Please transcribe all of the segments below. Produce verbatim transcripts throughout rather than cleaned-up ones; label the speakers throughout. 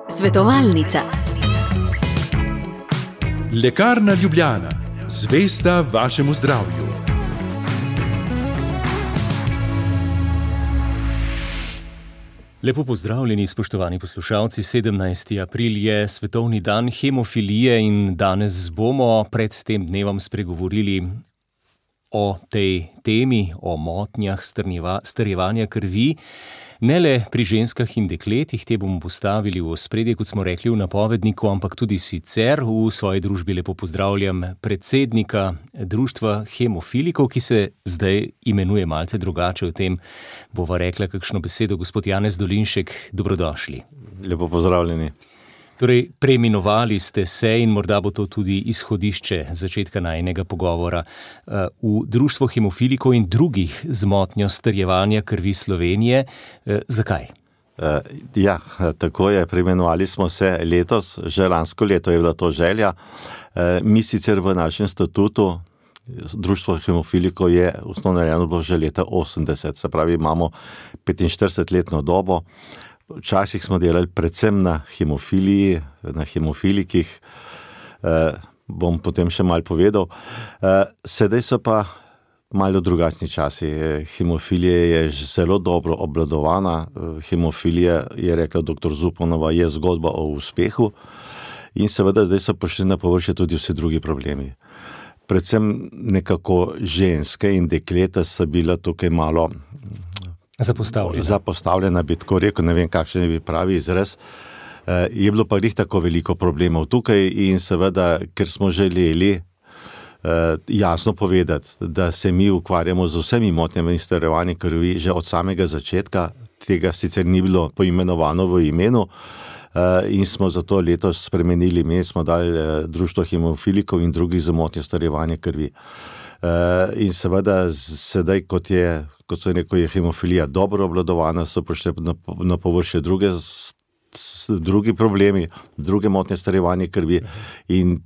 Speaker 1: Svetovalnica.
Speaker 2: Lekarna Ljubljana, zvesta vašemu zdravju.
Speaker 3: Lepo pozdravljeni, spoštovani poslušalci. sedemnajsti april je svetovni dan hemofilije in danes bomo pred tem dnevom spregovorili o tej temi, o motnjah strjevanja krvi. Ne le pri ženskah in dekletih, te bomo postavili v ospredje, kot smo rekli v napovedniku, ampak tudi sicer. V svoji družbi lepo pozdravljam predsednika Društva hemofilikov, ki se zdaj imenuje malce drugače, o tem bova rekla kakšno besedo. Gospod Janez Dolinšek, dobrodošli.
Speaker 4: Lepo pozdravljeni.
Speaker 3: Torej, preimenovali ste se in morda bo to tudi izhodišče začetka najinega pogovora v Društvo hemofilikov in drugih z motnjo strjevanja krvi Slovenije. Zakaj?
Speaker 4: Ja, tako je, preimenovali smo se letos, že lansko leto je bila to želja. Mi sicer v našem statutu, Društvo hemofilikov je ustanovljeno bilo že leta osemdeset, se pravi imamo petinštiridesetletno dobo. Včasih smo delali predvsem na hemofiliji, na hemofilikih, eh, bom potem še malo povedal. Eh, sedaj so pa malo drugačni časi. Hemofilija je zelo dobro obvladovana. Hemofilija, je rekla doktor Zupanova, je zgodba o uspehu in seveda zdaj so prišli na površje tudi vsi drugi problemi. Predvsem nekako ženske in dekleta so bila tukaj malo
Speaker 3: Zapostavljena.
Speaker 4: Zapostavljena, bi tako rekel, ne vem, kakšen je pravi izraz. E, je bilo pa res tako veliko problemov tukaj in seveda, ker smo želeli e, jasno povedati, da se mi ukvarjamo z vsemi motnjami strjevanja krvi že od samega začetka, tega sicer ni bilo poimenovano v imenu e, in smo zato letos spremenili ime, smo dali e, Društvo hemofilikov in drugih z motnjo strjevanja krvi. Uh, in seveda sedaj, kot je, kot so rekel, je hemofilija dobro obvladovana, so prišli na, na površje druge, s, s, drugi problemi, druge motnje strjevanja krvi in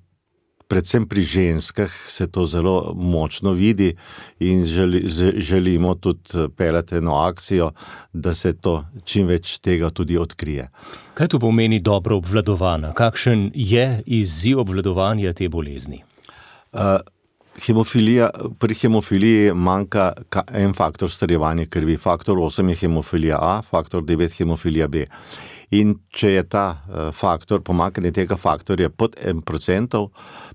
Speaker 4: predvsem pri ženskah se to zelo močno vidi in želi, želimo tudi peljati eno akcijo, da se to čim več tega tudi odkrije.
Speaker 3: Kaj to pomeni dobro obvladovana? Kakšen je izziv obvladovanja te bolezni?
Speaker 4: Uh, Hemofilija, pri hemofiliji manjka en faktor strjevanja krvi. Faktor osem je hemofilija A, faktor devet hemofilija B. In če je ta faktor, pomanjkanje tega faktorja pod en procent,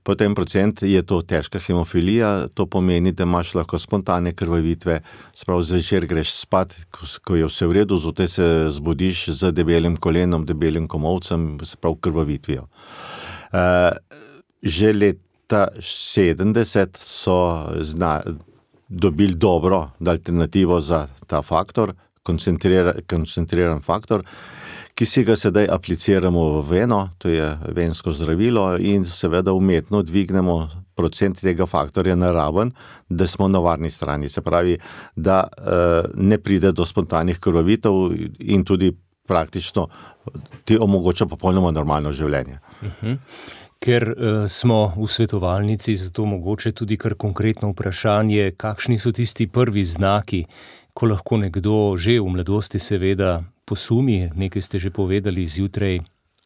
Speaker 4: pod en procent je to težka hemofilija, to pomeni, da imaš lahko spontane krvavitve, sprav zvečer greš spat, ko je vse v redu, zjutraj se zbudiš z debelim kolenom, debelim komolcem, sprav krvavitvijo. Uh, že let Ta sedemdeset so zna, dobili dobro alternativo za ta faktor, koncentriran, koncentriran faktor, ki si ga sedaj apliciramo v veno, to je vensko zdravilo in seveda umetno dvignemo procent tega faktorja na raven, da smo na varni strani. Se pravi, da uh, ne pride do spontanih krvavitev in tudi praktično ti omogoča popolnoma normalno življenje.
Speaker 3: Uh-huh. Ker uh, smo v svetovalnici, zato mogoče tudi kar konkretno vprašanje, kakšni so tisti prvi znaki, ko lahko nekdo že v mladosti seveda posumi, nekaj ste že povedali zjutraj,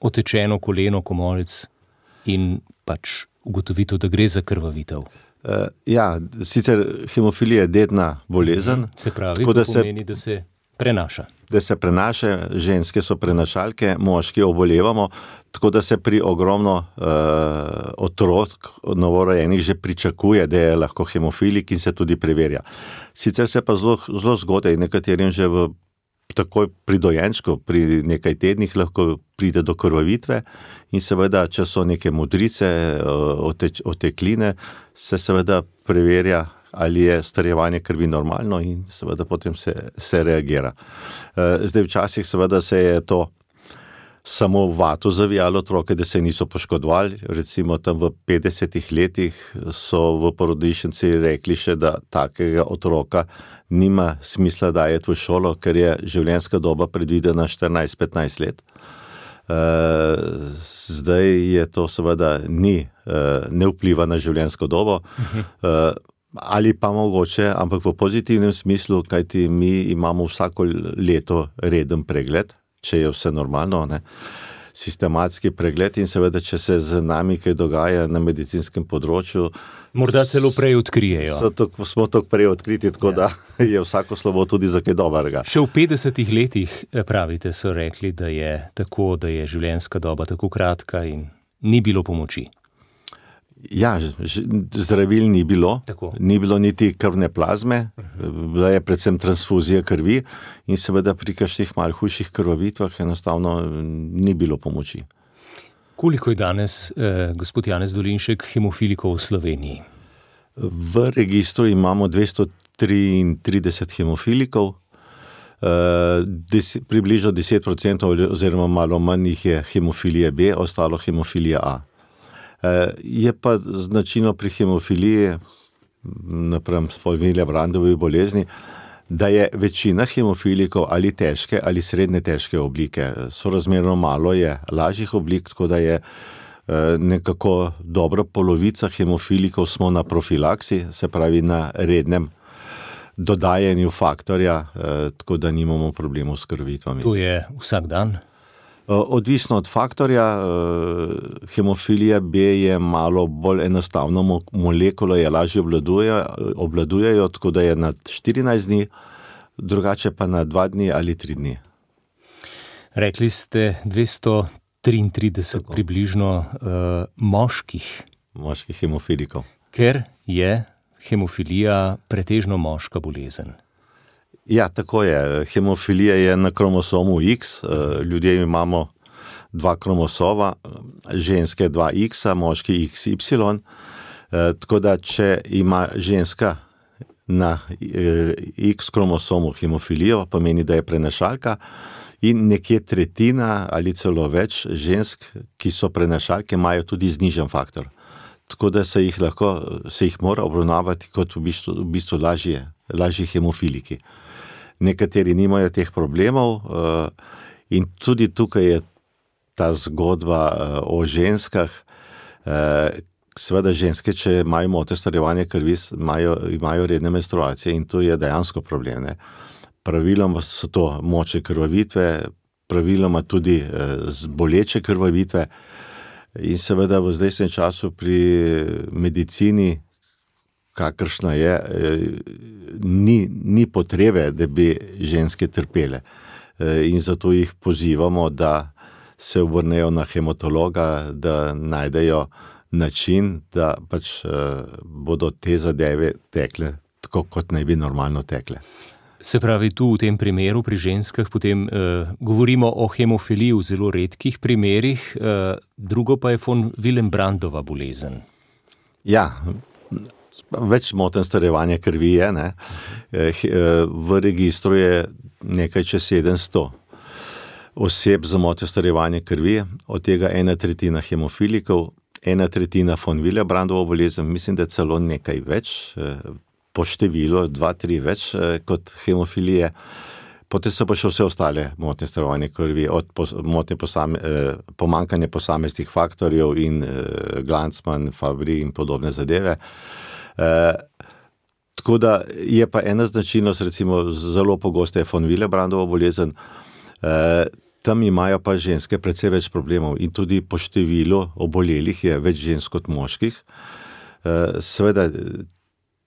Speaker 3: otečeno koleno, komolec in pač ugotovitev, da gre za krvavitev.
Speaker 4: Uh, ja, sicer hemofilija je dedna bolezen.
Speaker 3: Se pravi, to pomeni, da se prenaša.
Speaker 4: da se prenaša, ženske so prenašalke, moški obolevamo, tako da se pri ogromno uh, otrok novorojenih že pričakuje, da je lahko hemofilik in se tudi preverja. Sicer se pa zelo, zelo zgodaj, nekaterim že v takoj pri dojenčku, pri nekaj tednih lahko pride do krvavitve in seveda, če so neke modrice, oteč, otekline, se seveda preverja, ali je strjevanje krvi normalno in seveda potem se, se reagira. Zdaj včasih seveda se je to samo v vato zavijalo otroke, da se niso poškodovali. Recimo tam v petdesetih letih so v porodnišnici rekli še, da takega otroka nima smisla dajeti v šolo, ker je življenjska doba predvidena štirinajst petnajst let. Zdaj je to seveda ni, ne vpliva na življenjsko dobo. Uh-huh. Ali pa mogoče, ampak v pozitivnem smislu, kajti mi imamo vsako leto reden pregled, če je vse normalno, ne, sistematski pregled in seveda, če se z nami kaj dogaja na medicinskem področju.
Speaker 3: Morda celo prej odkrijejo.
Speaker 4: So to, smo tako prej odkriti, tako ja. Da je vsako slovo tudi za kaj dobrega.
Speaker 3: Še v petdesetih letih, pravite, so rekli, da je tako, da je življenjska doba tako kratka in ni bilo pomoči.
Speaker 4: Ja, zdravil ni bilo, tako. Ni bilo niti krvne plazme, bila je predvsem transfuzija krvi in seveda pri kakšnih malo hujših krvavitvah enostavno ni bilo pomoči.
Speaker 3: Koliko je danes, eh, gospod Janez Dolinšek, hemofilikov v Sloveniji?
Speaker 4: V registru imamo dvesto triintrideset hemofilikov, eh, des, približno deset procentov oziroma malo manj jih je hemofilije B, ostalo hemofilija A. Je pa značilno pri hemofiliji, napram Willebrandove bolezni, da je večina hemofilikov ali težke ali srednje težke oblike. Sorazmerno malo je lažjih oblik, tako da je nekako dobra polovica hemofilikov smo na profilaksi, se pravi na rednem dodajanju faktorja, tako da nimamo problemov s krvitvami.
Speaker 3: To je vsak dan?
Speaker 4: Odvisno od faktorja, hemofilija B je malo bolj enostavno molekulo, je lažje obladuje, obladujejo, tako da je na štirinajst dni, drugače pa na dva dni ali tri dni.
Speaker 3: Rekli ste dvesto triintrideset tako. Približno uh, moških.
Speaker 4: Moških hemofilikov.
Speaker 3: Ker je hemofilija pretežno moška bolezen.
Speaker 4: Ja, tako je. Hemofilija je na kromosomu X, ljudje imamo dva kromosoma, ženske dva X, moški X Y, tako da če ima ženska na X kromosomu hemofilijo, pomeni, da je prenašalka in nekje tretjina ali celo več žensk, ki so prenašalke, imajo tudi znižen faktor. Tako da se jih lahko, se jih mora obravnavati kot v bistvu, v bistvu lažje, lažji hemofiliki. Nekateri nimajo teh problemov in tudi tukaj je ta zgodba o ženskah. Seveda ženske, če imajo mote starjevanja krvi, imajo, imajo redne menstruacije in to je dejansko problem. Ne? Praviloma so to močne krvavitve, praviloma tudi boleče krvavitve in seveda v zdajšnjem času pri medicini, kakršna je, ni, ni potrebe, da bi ženske trpele. In zato jih pozivamo, da se obrnejo na hematologa, da najdejo način, da pač bodo te zadeve tekle tako, kot naj bi normalno tekle.
Speaker 3: Se pravi, tu v tem primeru pri ženskah potem eh, govorimo o hemofiliji v zelo redkih primerih, eh, drugo pa je von Willebrandova bolezen.
Speaker 4: Ja, več moten starjevanja krvi je, ne. V registru je nekaj čez sedemsto oseb za motnjo starjevanja krvi, od tega ena tretjina hemofilikov, ena tretjina von Willebrandova bolezen, mislim, da celo nekaj več, po številu, dva, tri več kot hemofilije. Potem so pa še vse ostale motnje starjevanja krvi, od motnje posame, pomanjkanja posameznih faktorjev in Glanzmann, Fabry in podobne zadeve. Uh, tako da je pa ena značilnost, recimo zelo pogosto je von Willebrandova bolezen, uh, tam imajo pa ženske precej več problemov in tudi po številu obolelih je več žensk kot moških. Uh, seveda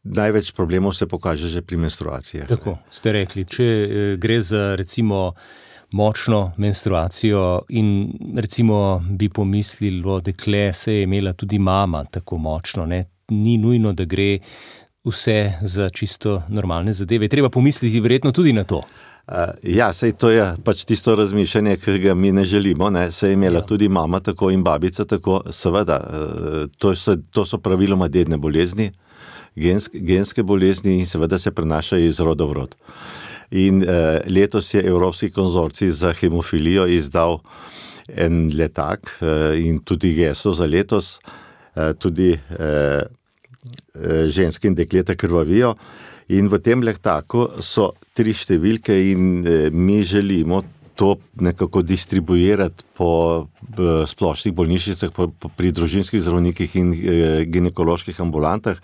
Speaker 4: največ problemov se pokaže že pri menstruaciji.
Speaker 3: Tako, ste rekli, če gre za recimo močno menstruacijo in recimo bi pomislilo, dekle se je imela tudi mama tako močno, ne? Ni nujno, da gre vse za čisto normalne zadeve. Treba pomisliti verjetno tudi na to.
Speaker 4: Uh, ja, sej to je pač tisto razmišljanje, ki ga mi ne želimo, ne. Sej je imela ja. Tudi mama tako in babica tako, seveda, uh, to so, to so praviloma dedne bolezni, gensk, genske bolezni in seveda se prenašajo iz roda v rod. In uh, letos je Evropski konzorcij za hemofilijo izdal en letak uh, in tudi geslo za letos, tudi eh, ženske in dekleta krvavijo in v tem letaku so tri številke in eh, mi želimo to nekako distribuirati po eh, splošnih bolnišnicah, po, po, pri družinskih zdravnikih in eh, ginekoloških ambulantah.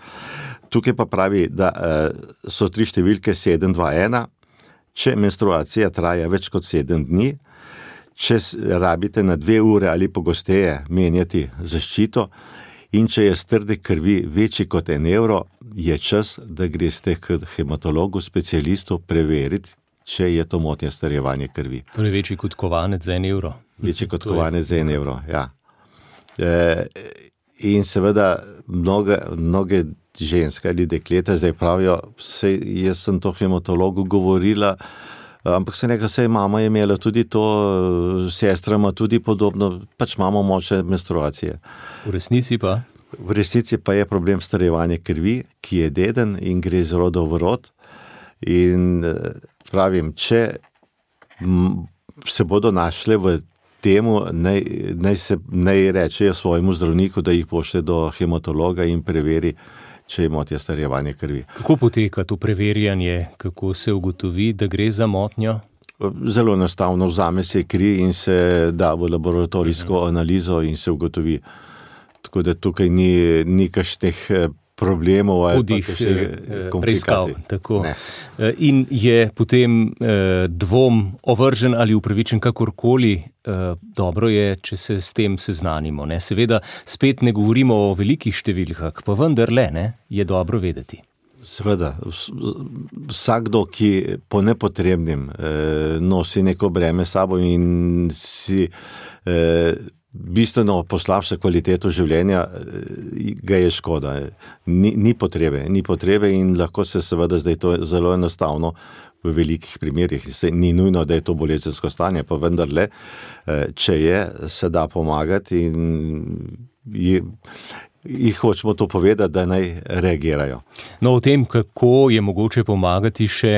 Speaker 4: Tukaj pa pravi, da eh, so tri številke sedem dva ena, če menstruacija traja več kot sedem dni, če rabite na dve ure ali pogosteje menjati zaščito in če je strde krvi večji kot en evro, je čas, da greste k hematologu, specialistu preveriti, če je to motnja starjevanja krvi.
Speaker 3: Torej večji kot kovanec za en evro.
Speaker 4: Večji kot kovanec za en evro, ja. E, in seveda mnoge, mnoge ženske ali dekleta zdaj pravijo, sej, jaz sem to hematologu govorila, ampak se nekaj, sej mama je imela tudi to, sestra ima tudi podobno, pač imamo močne menstruacije.
Speaker 3: V resnici pa?
Speaker 4: V resnici pa je problem starjevanja krvi, ki je deden in gre iz roda v rod. In pravim, če se bodo našle v temu, naj, naj, se, naj rečejo svojemu zdravniku, da jih pošlje do hematologa in preveri, če je motnja starjevanja krvi.
Speaker 3: Kako poteka to preverjanje? Kako se ugotovi, da gre za motnjo?
Speaker 4: Zelo enostavno, vzame se kri in se da v laboratorijsko analizo in se ugotovi. Tako da tukaj ni, ni kakšnih problemov ali
Speaker 3: Hudih,
Speaker 4: pa še komplikacij.
Speaker 3: Tako. In je potem eh, dvom ovržen ali upravičen kakorkoli, eh, dobro je, če se s tem seznanimo. Ne? Seveda spet ne govorimo o velikih številkah, pa vendarle ne, je dobro vedeti.
Speaker 4: Seveda, vsakdo, ki po nepotrebnim eh, nosi neko breme sabo in si eh, bistveno poslabša kvaliteto življenja, ga je škoda. Ni, ni potrebe, ni potrebe in lahko se seveda zdaj to zelo enostavno v velikih primerih. Ni nujno, da je to bolezensko stanje, pa vendarle, če je, se da pomagati in je, jih hočemo to povedati, da naj reagirajo.
Speaker 3: No, o tem, kako je mogoče pomagati še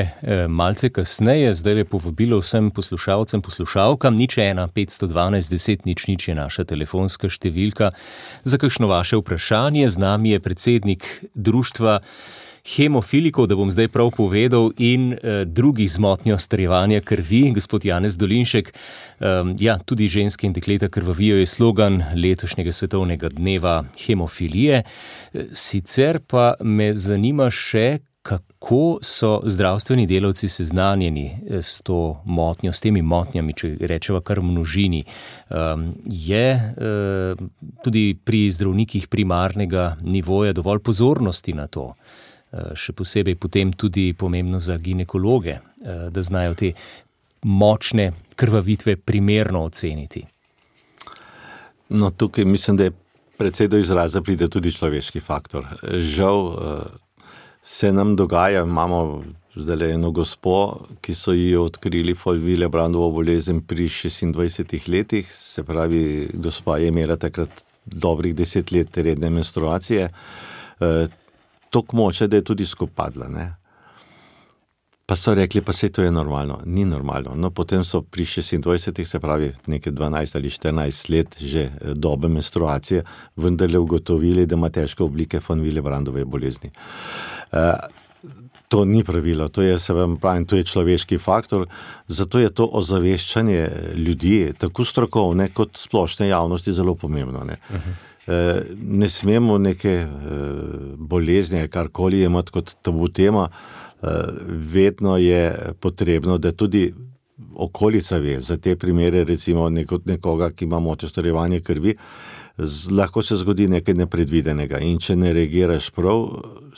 Speaker 3: malce kasneje, zdaj je povabilo vsem poslušalcem, poslušalkam, nič ena, petsto dvanajst, deset, nič, nič je naša telefonska številka. Za kakšno vaše vprašanje, z nami je predsednik društva hemofilikov, da bom zdaj prav povedal, in eh, drugih z motnjo starjevanja krvi, gospod Janez Dolinšek. Um, ja, tudi ženske in dekleta krvavijo je slogan letošnjega svetovnega dneva hemofilije. Sicer pa me zanima še, kako so zdravstveni delavci seznanjeni s to motnjo, s temi motnjami, če rečeva kar v množini. Um, je uh, tudi pri zdravnikih primarnega nivoja dovolj pozornosti na to? Še posebej potem tudi pomembno za ginekologe, da znajo te močne krvavitve primerno oceniti.
Speaker 4: No, tukaj mislim, da je precej do izraza pride tudi človeški faktor. Žal se nam dogaja, imamo zdaj eno gospo, ki so ji odkrili Willebrandova bolezen pri šestindvajsetih letih, se pravi, gospa je imela takrat dobrih deset let redne menstruacije, toliko moče, da je tudi skopadla, ne. Pa so rekli, pa sej to je normalno. Ni normalno. No, potem so pri šestindvajsetih, se pravi, nekaj dvanajst ali štirinajst let že dobe menstruacije, vendarle ugotovili, da ima težke oblike von Willebrandove bolezni. E, to ni pravilo, to je, se vam pravim, to je človeški faktor, zato je to ozaveščanje ljudi, tako strokovne kot splošne javnosti, zelo pomembno, ne. Uh-huh. Ne smemo neke bolezni ali karkoli imati kot tabu tema, vedno je potrebno, da tudi okolica ve za te primere, recimo nekoga, ki ima motnjo starjevanja krvi, lahko se zgodi nekaj nepredvidenega in če ne reagiraš prav,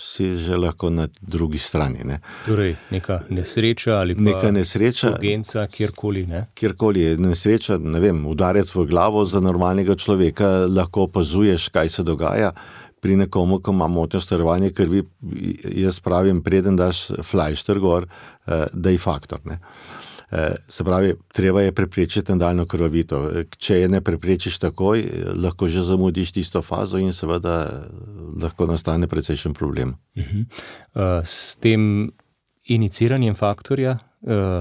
Speaker 4: si že lahko na drugi strani. Ne.
Speaker 3: Torej, neka nesreča ali pa
Speaker 4: neka nesreča,
Speaker 3: urgenca, kjerkoli, ne?
Speaker 4: Kjerkoli je nesreča, ne vem, udarec v glavo za normalnega človeka, lahko opazuješ, kaj se dogaja. Pri nekomu, ko ima motnjo starjevanja krvi, jaz pravim, preden daš flajšter gor, da je faktor, ne. Se pravi, treba je preprečiti nadaljnjo krvavitev. Če je ne preprečiš takoj, lahko že zamudiš tisto fazo in seveda lahko nastane precejšen problem.
Speaker 3: Uh-huh. S tem iniciranjem faktorja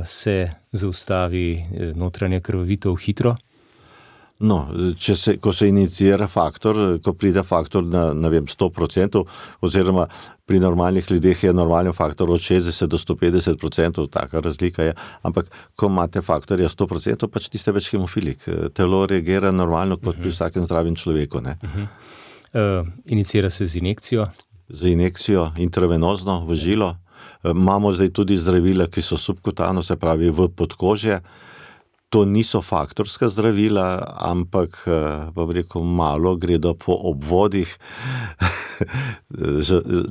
Speaker 3: se zaustavi notranja krvavitev hitro?
Speaker 4: No, če se, ko se inicira faktor, ko pride faktor na, ne vem, sto procentov, oziroma pri normalnih ljudeh je normalni faktor od šestdeset do sto petdeset procentov, taka razlika je, ampak ko imate faktorja sto procentov, pač tiste več hemofilik. Telo reagira normalno kot pri vsakem zdravem človeku, ne.
Speaker 3: Uh-huh. Uh, inicira se z injekcijo?
Speaker 4: Z injekcijo, intravenozno, v žilo. Uh, imamo zdaj tudi zdravila, ki so subkutano, se pravi v podkožje. to niso faktorska zdravila, ampak, bom rekel, malo gredo po obvodih.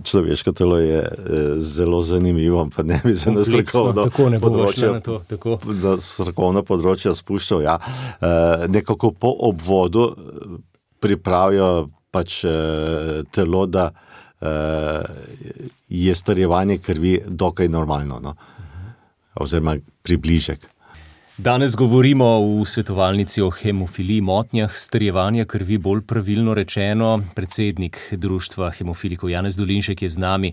Speaker 4: Človeško telo je zelo zanimivo, pa ne bi se na strokovno področje, na strokovno področje spuščal. Ja. Nekako po obvodu pripravijo pač telo, da je starjevanje krvi dokaj normalno, no? Oziroma približek.
Speaker 3: Danes govorimo v svetovalnici o hemofiliji, motnjah starjevanja krvi, bolj pravilno rečeno. Predsednik društva hemofilikov Janez Dolinšek je z nami.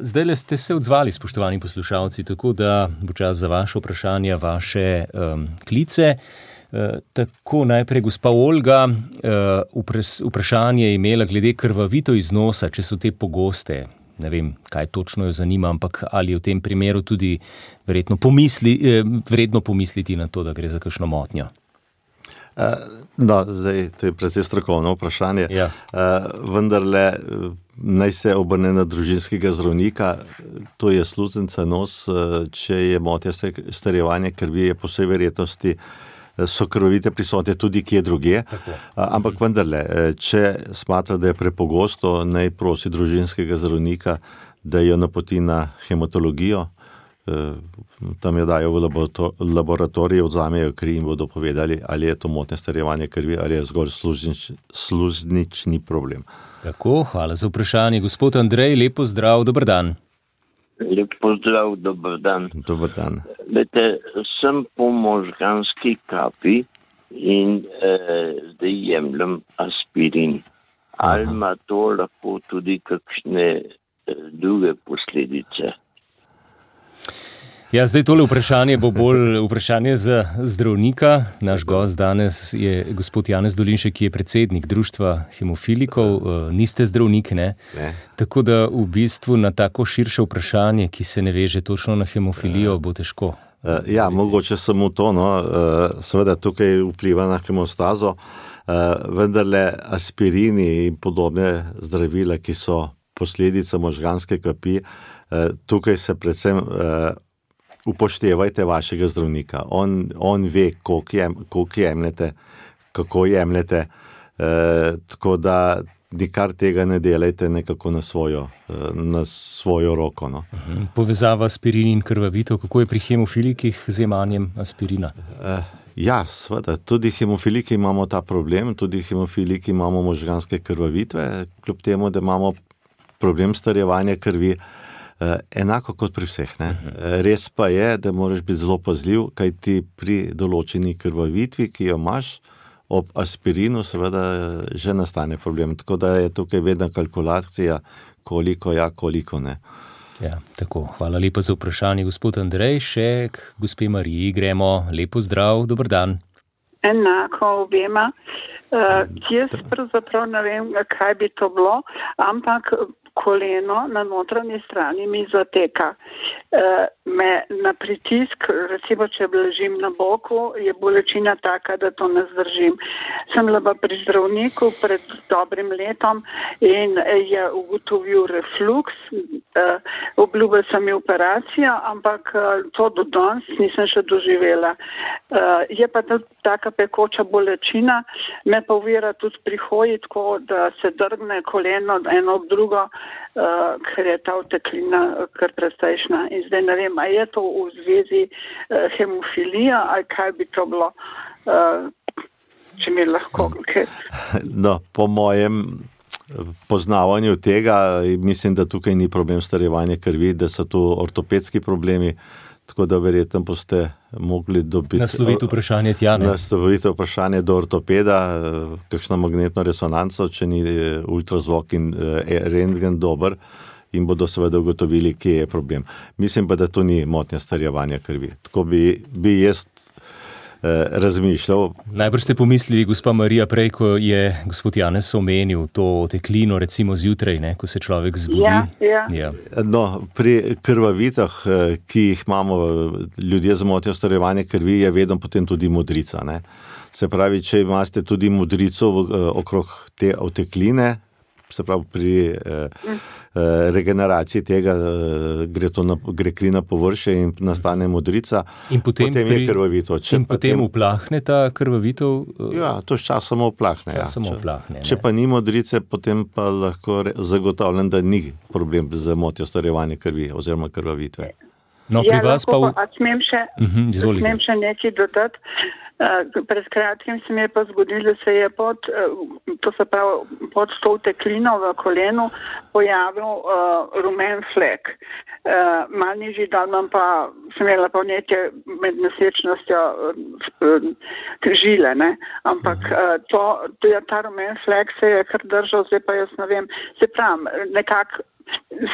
Speaker 3: Zdajle ste se odzvali, spoštovani poslušalci, tako da bo čas za vaše vprašanja, vaše um, klice. Uh, tako najprej gospa Olga uh, vprašanje je imela glede krvavitev iz nosa, če so te pogoste. Ne vem, kaj točno jo zanima, ampak ali je v tem primeru tudi verjetno pomisli, eh, vredno pomisliti na to, da gre za kakšno motnjo?
Speaker 4: Uh, no, zdaj, to je precej strokovno vprašanje.
Speaker 3: Ja.
Speaker 4: Uh, vendarle naj se obrne na družinskega zdravnika, to je sluznica nos, če je motnja starjevanja krvi, je po vsej verjetnosti so krvavite prisotne tudi kje drugje,
Speaker 3: Tako.
Speaker 4: ampak vendarle, če smatra, da je prepogosto, naj prosi družinskega zdravnika, da jo napoti na hematologijo, tam jo dajo v laboratoriju, odzamejo kri in bodo povedali, ali je to motnje starjevanje krvi, ali je zgolj sluznič, sluznični problem.
Speaker 3: Tako, hvala za vprašanje. Gospod Andrej, lepo zdrav, dober dan.
Speaker 5: Lep pozdrav, dober dan.
Speaker 4: Dober dan.
Speaker 5: Vete, sem po možganski kapi in eh, zdaj jemljem aspirin. Ali ima to lahko tudi kakšne eh, druge posledice?
Speaker 3: Ja, zdaj tole vprašanje bo bolj vprašanje za zdravnika. Naš gost danes je gospod Janez Dolinšek, ki je predsednik društva hemofilikov. Niste zdravnik, ne?
Speaker 4: Ne.
Speaker 3: Tako da v bistvu na tako širše vprašanje, ki se ne veže točno na hemofilijo, bo težko.
Speaker 4: Ja, mogoče samo to, no. Seveda tukaj vpliva na hemostazo, vendarle aspirini in podobne zdravila, ki so posledica možganske kapi, tukaj se predvsem upoštevajte vašega zdravnika. On, on ve, koliko, jem, koliko jemljete, kako jemljete, e, tako da nikar tega ne delajte nekako na svojo, na svojo roko. No.
Speaker 3: Povezava aspirin in krvavitev, kako je pri hemofilikih z jemanjem aspirina?
Speaker 4: E, ja, seveda, tudi hemofiliki imamo ta problem, tudi hemofiliki imamo možganske krvavitve, kljub temu, da imamo problem starjevanja krvi, enako kot pri vseh. Ne? Res pa je, da moraš biti zelo pazljiv, kaj ti pri določeni krvavitvi, ki jo imaš, ob aspirinu seveda že nastane problem. Tako da je tukaj vedno kalkulacija, koliko ja, koliko ne.
Speaker 3: Ja, tako. Hvala lepa za vprašanje, gospod Andrej. Še k gospe Mariji gremo. Lepo zdrav, dober dan.
Speaker 6: Enako obema. Uh, jaz pravzaprav ne vem, kaj bi to bilo, ampak koleno na notranji strani mi zateka. E, me na pritisk, recimo, če ležim na boku, je bolečina taka, da to ne zdržim. Sem bila pri zdravniku pred dobrim letom in je ugotovil refluks. E, obljubil sem mi operacijo, ampak to do danes nisem še doživela. E, je pa tudi taka pekoča bolečina, me pa uvira tudi pri hoji, tako da se drgne koleno eno ob drugo, uh, ker je ta oteklina kar precejšna. In zdaj ne vem, a je to v zvezi uh, hemofilija, ali kaj bi to bilo, uh, če mi lahko. Okay.
Speaker 4: No, po mojem poznavanju tega, mislim, da tukaj ni problem starjevanja krvi, da so tu ortopedski problemi, tako da verjetno boste mogli dobiti...
Speaker 3: Nasloviti vprašanje tja, ne?
Speaker 4: Nasloviti vprašanje do ortopeda, kakšno magnetno resonanco, če ni ultrazvok in rentgen dober, in bodo seveda ugotovili, kje je problem. Mislim pa, da to ni motnja starjevanja krvi. Tako bi, bi jaz eh, razmišljal.
Speaker 3: Najbrž ste pomislili, gospa Marija, prej, ko je gospod Janez omenil to oteklino, recimo zjutraj, ne, ko se človek zbudi.
Speaker 6: Ja, ja.
Speaker 3: Ja.
Speaker 4: No, pri krvavitah, ki jih imamo ljudje z motnjo starjevanja krvi, je vedno potem tudi modrica. Ne. Se pravi, če imate tudi modrico okrog te otekline, se pravi pri eh, regeneraciji tega gre, to na, gre kri na površje in nastane modrica,
Speaker 3: in potem,
Speaker 4: potem
Speaker 3: pri,
Speaker 4: je krvavito. Če
Speaker 3: in potem tem, uplahne ta krvavitev?
Speaker 4: Ja, to s časom uplahne.
Speaker 3: Ja. Če, uplahne
Speaker 4: če pa ni modrice, potem pa lahko zagotavljam, da ni problem z motnjo starjevanja krvi oziroma krvavitve.
Speaker 3: No, pri
Speaker 6: ja,
Speaker 3: vas pa...
Speaker 6: Pa, a smem še,
Speaker 3: uh-huh,
Speaker 6: smem še nekaj dodati? Uh, pred kratkim se mi je pa zgodilo, da se je pod, uh, to se pravi, pod to teklino v kolenu pojavil uh, rumen flek. Uh, mal nižji dal imam pa, sem imela pa nekaj med nosečnostjo uh, žile, ne? Ampak uh, to, to je, ta rumen flek se je kar držal, zdaj pa jaz ne vem, se pravim, nekako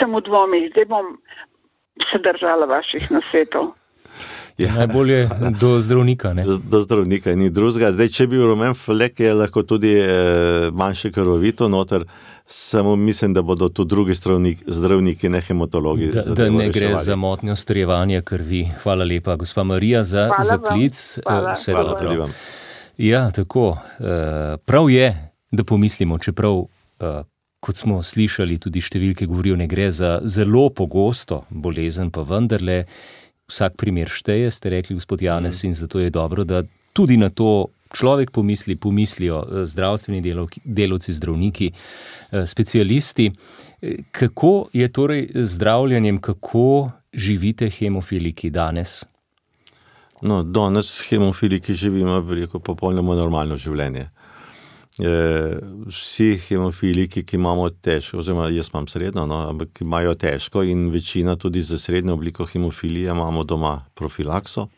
Speaker 6: sem v dvomih, zdaj bom se držala vaših nasvetov.
Speaker 3: Ja. Najbolje do zdravnika, ne?
Speaker 4: Do, do zdravnika, ni drugega. Zdaj, če bi rumen flek, je lahko tudi eh, manjše krvavito noter, samo mislim, da bodo tu drugi zdravnik, zdravniki, ne hematologi.
Speaker 3: Da, da ne gre za motnjo strjevanja krvi. Hvala lepa, gospa Marija, za zaklic.
Speaker 6: Hvala,
Speaker 3: Vse
Speaker 4: hvala tudi vam.
Speaker 3: Ja, tako. Prav je, da pomislimo, čeprav, kot smo slišali, tudi številke govorijo, ne gre za zelo pogosto bolezen, pa vendarle vsak primer šteje, ste rekli, gospod Janez, in zato je dobro, da tudi na to človek pomisli, pomislijo zdravstveni delovki, delovci, zdravniki, specialisti. Kako je torej z zdravljenjem, kako živite hemofiliki danes?
Speaker 4: No, danes hemofiliki živimo, rekel, popolnoma normalno življenje. E, vsi hemofiliki, ki imamo težko, oziroma jaz imam srednjo, no, ampak ki imajo težko in večina tudi za srednjo obliko hemofilije imamo doma profilakso,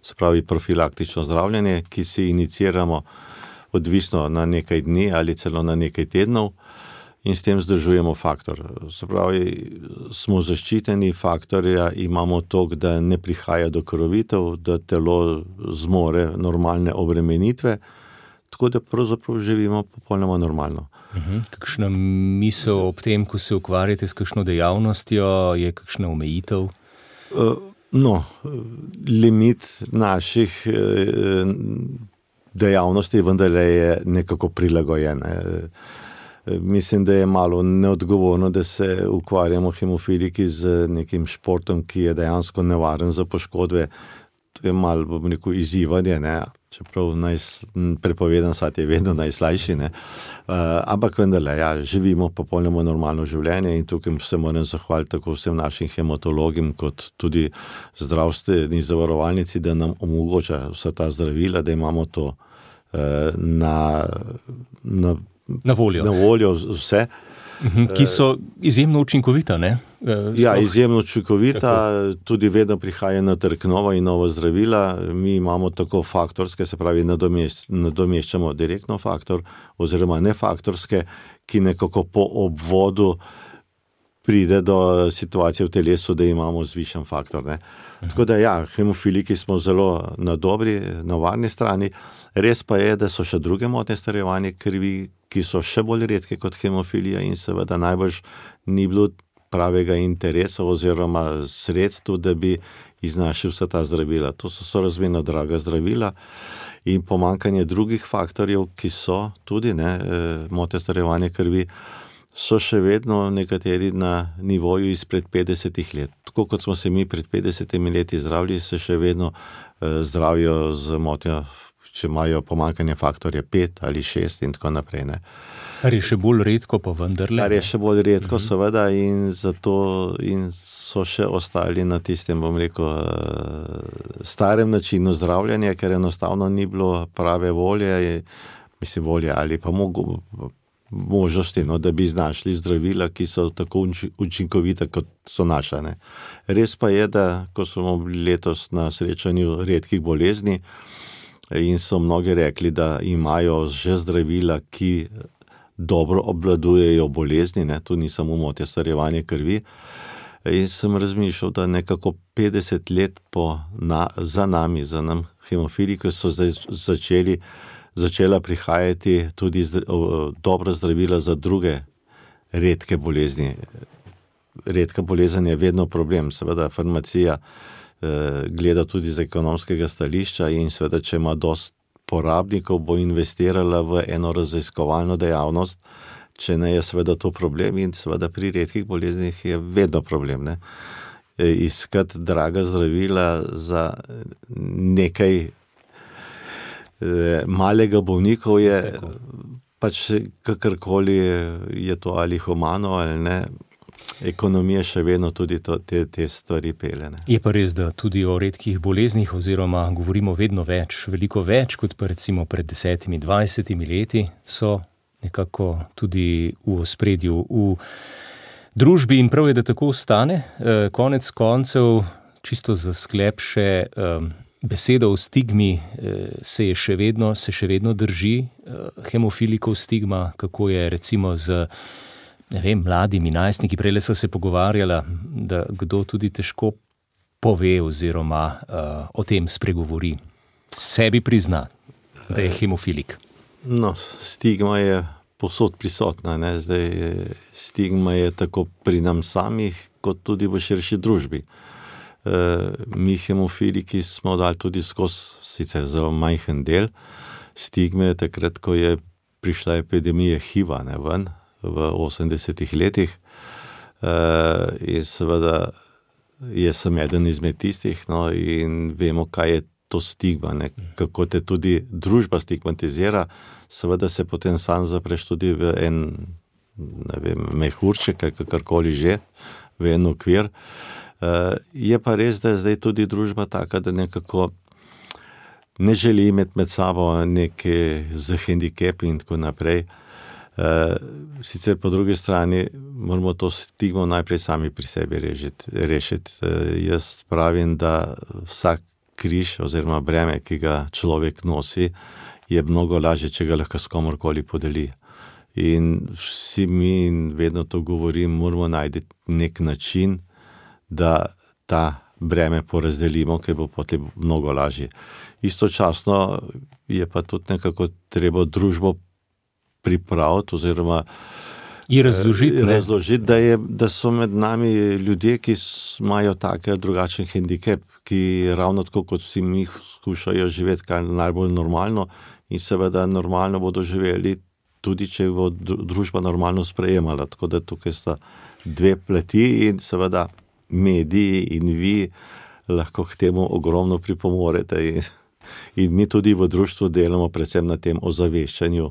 Speaker 4: se pravi profilaktično zdravljenje, ki si iniciramo odvisno na nekaj dni ali celo na nekaj tednov in s tem zdržujemo faktor. Se pravi, smo zaščiteni, faktorja imamo toliko, da ne prihaja do krvavitev, da telo zmore normalne obremenitve, tako da pravzaprav živimo popolnoma normalno.
Speaker 3: Uh-huh. Kakšna misel ob tem, ko se ukvarjate s kakšno dejavnostjo, je kakšna omejitev?
Speaker 4: Uh, no, limit naših uh, dejavnosti vendarle je nekako prilagojen. Uh, mislim, da je malo neodgovorno, da se ukvarjamo hemofiliki z nekim športom, ki je dejansko nevaren za poškodbe. To je malo, bom rekel, izzivanje, ne? Čeprav naj, prepovedan sad je vedno najslajši, ne? Uh, ampak vendarle, ja, živimo popolnoma normalno življenje in tukaj se moram zahvaliti tako vsem našim hematologim, kot tudi zdravstveni zavarovalnici, da nam omogoča vsa ta zdravila, da imamo to uh, na, na,
Speaker 3: na voljo,
Speaker 4: na voljo vse.
Speaker 3: Ki so izjemno učinkovita, ne?
Speaker 4: Sploh, ja, izjemno učinkovita, tako. Tudi vedno prihaja na trg nova in nova zdravila. Mi imamo tako faktorske, se pravi nadomešč, nadomeščamo direktno faktor oziroma nefaktorske, ki nekako po obvodu pride do situacije v telesu, da imamo zvišen faktor. Ne? Tako da ja, hemofiliki smo zelo na dobri, na varni strani. Res pa je, da so še druge motnje starjevanja krvi, ki so še bolj redke kot hemofilija in seveda najbrž ni bilo pravega interesa oziroma sredstv, da bi iznašli vsa ta zdravila. To so sorazmerno draga zdravila in pomanjkanje drugih faktorjev, ki so tudi ne, motnje starjevanja krvi, so še vedno nekateri na nivoju izpred petdesetih let. Tako kot smo se mi pred petdesetimi leti zdravili, se še vedno eh, zdravijo z motnjo, če imajo pomanjkanje faktorja pet ali šest in tako naprej. Ne.
Speaker 3: Kar je še bolj redko, pa vendarle.
Speaker 4: Kar je še bolj redko,
Speaker 3: Mhm.
Speaker 4: seveda, in zato in so še ostali na tistem, bom rekel, starem načinu zdravljenja, ker enostavno ni bilo prave volje, mislim volje ali pa mogo, možnosti, no, da bi znašli zdravila, ki so tako učinkovita, kot so naša. Ne. Res pa je, da ko smo bili letos na srečanju redkih bolezni in so mnogi rekli, da imajo že zdravila, ki dobro obvladujejo bolezni, ne, tu ni samo motnja starjevanja krvi, in sem razmišljal, da nekako petdeset let po na, za nami, za nam hemofili, ko so zdaj začeli začela prihajati tudi zd, o, dobra zdravila za druge redke bolezni. Redka bolezen je vedno problem, seveda farmacija eh, gleda tudi z ekonomskega stališča in seveda, če ima dost porabnikov, bo investirala v eno raziskovalno dejavnost, če ne je seveda to problem in seveda pri redkih boleznih je vedno problem, ne. Iskati draga zdravila za nekaj eh, malega bolnikov je Tako. pač kakorkoli je to ali humano ali ne, ekonomija še vedno tudi to, te, te stvari pele. Ne.
Speaker 3: Je pa res, da tudi o redkih boleznih oziroma govorimo vedno več, veliko več kot pa recimo pred desetimi, dvajsetimi leti so nekako tudi v ospredju v družbi in prav je, da tako ostane. E, konec koncev, čisto za sklep še, e, beseda o stigmi e, se je še vedno, se še vedno drži. E, hemofilikov stigma, kako je recimo z ne vem, mladimi najstniki, prejle sva se pogovarjala, da kdo tudi težko pove oziroma uh, o tem spregovori. Sebi prizna, da je hemofilik.
Speaker 4: No, stigma je povsod prisotna, ne? Zdaj, stigma je tako pri nam samih, kot tudi v širši družbi. Uh, mi hemofiliki smo dali tudi skozi, sicer zelo majhen del, stigme takrat, ko je prišla epidemija HIV-a, ne, ven, v osemdesetih letih uh, in seveda jaz sem eden izmed tistih, no, in vemo, kaj je to stigma, ne, kako te tudi družba stigmatizira, seveda se potem sam zapreš tudi v en, ne vem, mehurček, kakorkoli že, v en okvir. Uh, je pa res, da je zdaj tudi družba taka, da nekako ne želi imeti med sabo neke z hendikepi in tako naprej. Uh, sicer po drugi strani moramo to stigmo najprej sami pri sebi rešiti. rešiti. Uh, jaz pravim, da vsak križ oziroma breme, ki ga človek nosi, je mnogo lažje, če ga lahko s komorkoli podeli. In vsi mi, in vedno to govorim, moramo najti nek način, da ta breme porazdelimo, ker bo potem mnogo lažje. Istočasno je pa tudi nekako treba družbo pripraviti oziroma
Speaker 3: razložiti,
Speaker 4: razložiti da, je, da so med nami ljudje, ki imajo tak drugačen hendikep, ki ravno tako kot vsi mi skušajo živeti kar najbolj normalno in seveda normalno bodo živeli tudi, če bo družba normalno sprejemala. Tako da tukaj sta dve plati in seveda mediji in vi lahko k temu ogromno pripomorete in, in mi tudi v društvu delamo predvsem na tem ozaveščanju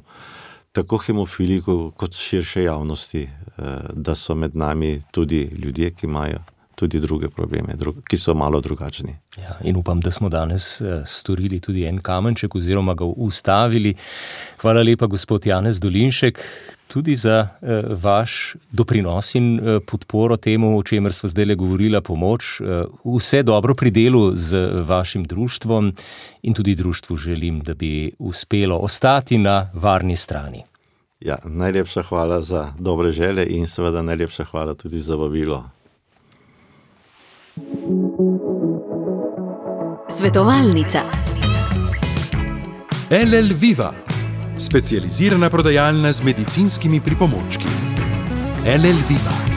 Speaker 4: tako hemofilikov kot širše javnosti, da so med nami tudi ljudje, ki imajo tudi druge probleme, ki so malo drugačni.
Speaker 3: Ja, in upam, da smo danes storili tudi en kamenček oziroma ga ustavili. Hvala lepa, gospod Janez Dolinšek, tudi za vaš doprinos in podporo temu, o čemer sva zdajle govorila, pomoč. Vse dobro pri delu z vašim društvom in tudi društvu želim, da bi uspelo ostati na varni strani.
Speaker 4: Ja, najlepša hvala za dobre želje in seveda najlepša hvala tudi za vabilo.
Speaker 1: Svetovalnica.
Speaker 2: L L Viva, specializirana prodajalna z medicinskimi pripomočki. L L Viva.